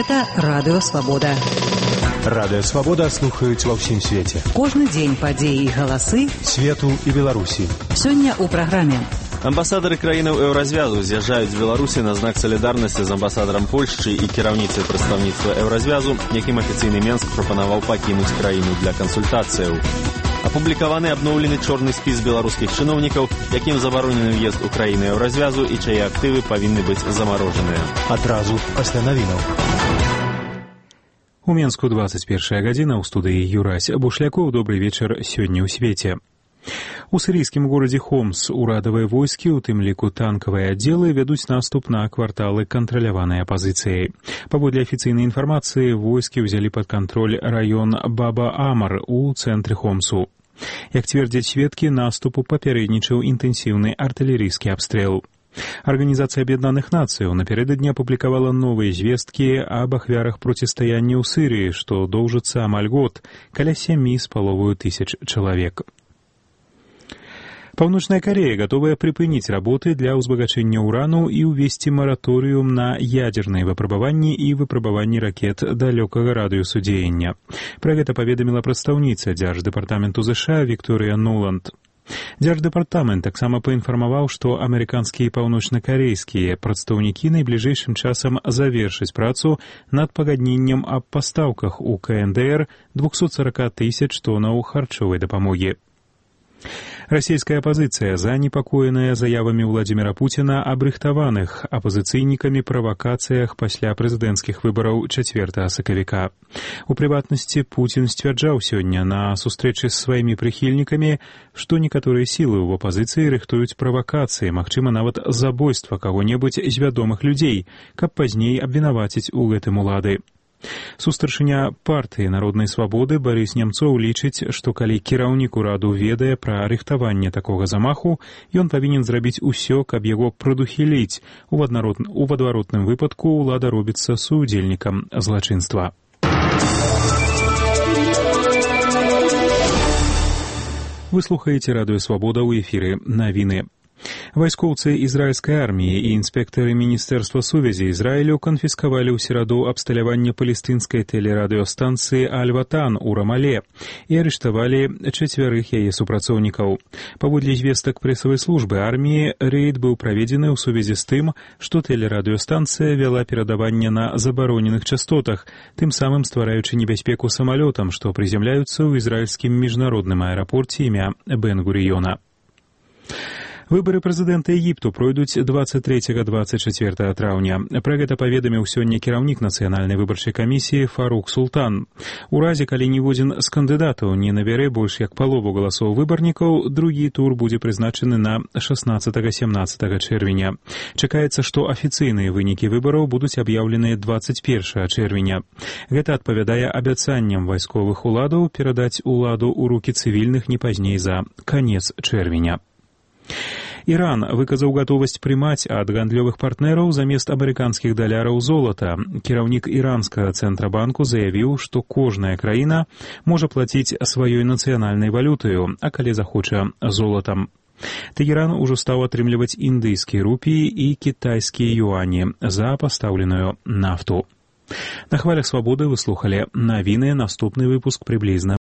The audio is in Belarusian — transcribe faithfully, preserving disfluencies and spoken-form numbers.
Гэта Радыё Свабода. Радыё Свабода слухаюць ва ўсім свеце. Кожны дзень падзеі і галасы свету і Беларусі. Сёння ў праграме. Амбасадары краінаў еўразвязу з'язджаюць з Беларусі на знак салідарнасці з амбасадарам Польшчы і кіраўніцай прадстаўніцтва еўразвязу, якім афіцыйны Менск прапанаваў пакінуць краіну для кансультацыяў. Апублікаваны абноўлены чорны спіс беларускіх чыноўнікаў, якім забаронены ўезд у краіны еўразвязу і чые актывы павінны быць замарожаныя. Адразу пасля навінаў. У Менску двадцать первая гадзіна, ў студыі Юрась Бушлякоў. Добрый вечар сёння ў свеце. У сірійскім горадзе Хомс урадавыя войскі, у тым ліку танкавыя аддзелы, вядуць наступ на кварталы кантраляванай апазіцыяй. Паводле афіцыйнай інфармацыі, войскі ўзялі пад кантроль раён Баба-Амар у цэнтры Хомсу. Як цвердзяць сведкі, наступу папярэднічаў інтэнсіўны артылерыйскі абстрэл. Арганізацыя Аб'яднаных Нацыяў напярэдадні апублікавала новыя звесткі аб ахвярах процістаяння ў Сірыі, што доўжыцца амаль год, каля сямі з паловаю тысяч чалавек. Паўночная Корея готовая припыніць работы для ўзбагачэння урану і ўвесці мараторыум на ядзерныя выпрабаванні і выпрабаванні ракет далёкага радыусу дзеяння. Пра гэта паведаміла прадстаўніца Дзярждэпартаменту ЗША Вікторыя Нуланд. Дзярждэпартамент таксама паінфармаваў, што амерыканскія і паўночнакарэйскія прадстаўнікі найбліжэйшым часам завершаць працу над пагадненнем аб пастаўках у КНДР двухсот сорока тысяч тоннаў харчовай дапамогі. Расійская апазіцыя занепакоеная заявамі Владзіміра Пуціна аб рыхтаваных апазіцыйнікамі правакацыях пасля прэзідэнцкіх выбараў чацвёртага сакавіка. У прыватнасці, Пуцін сцвярджаў сёння на сустрэчы з сваімі прыхільнікамі, што некаторыя сілы ў апазіцыі рыхтуюць правакацыі, магчыма, нават забойства каго-небудзь з вядомых людзей, каб пазней абвінаваціць у гэтым улады. Сустаршыня партыі народнай свабоды Барыс Нямцоў лічыць, што калі кіраўнік ураду ведае пра рыхтаванне такога замаху, ён павінен зрабіць усё, каб яго прадухіліць. У адваротным выпадку ўлада робіцца суудзельнікам злачынства. Вы слухаеце Радыё Свабода, ў эфіры навіны. Вайскоўцы ізраільскай арміі і інспектары Міністэрства сувязі Ізраілю канфіскавалі ў сераду абсталяванне палестынскай тэлерадыёстанцыі Аль-Ватан у Рамале і арыштавалі чацвярых яе супрацоўнікаў. Паводле звестак прэсавай службы арміі, рэйд быў праведзены ў сувязі з тым, што тэлерадыёстанцыя вяла перадаванне на забароненых частотах, тым самым ствараючы небяспеку самалётам, што прызямляюцца ў ізраільскім міжнародным аэрапорце імя Бен-Гурыёна. Выбары прэзідэнта Егіпту пройдуць двадцать трэцяга — двадцать чацвёртага траўня. Пра гэта паведаміў сёння кіраўнік нацыянальнай выбарчай камісіі Фарук Султан. У разе, калі ніводзін з кандыдатаў не набярэ больш як палову галасоў выбарнікаў, другі тур будзе прызначаны на шаснаццатага — сямнаццатага чэрвеня. Чакаецца, што афіцыйныя вынікі выбараў будуць аб'яўленыя двадцать першага чэрвеня. Гэта адпавядае абяцанням вайсковых уладаў перадаць уладу ў рукі цывільных не пазней за канец чэрвеня. Іран выказаў гатовасць прымаць ад гандлёвых партнераў замест амерыканскіх даляраў золата. Кіраўнік іранскага цэнтрабанку заявіў, што кожная краіна можа плаціць сваёй нацыянальнай валютаю, а калі захоча золатам. Тэгеран ужо стаў атрымліваць індыйскія рупіі і кітайскія юані за пастаўленую нафту. На хвалях свабоды вы слухалі навіны, наступны выпуск прыблізна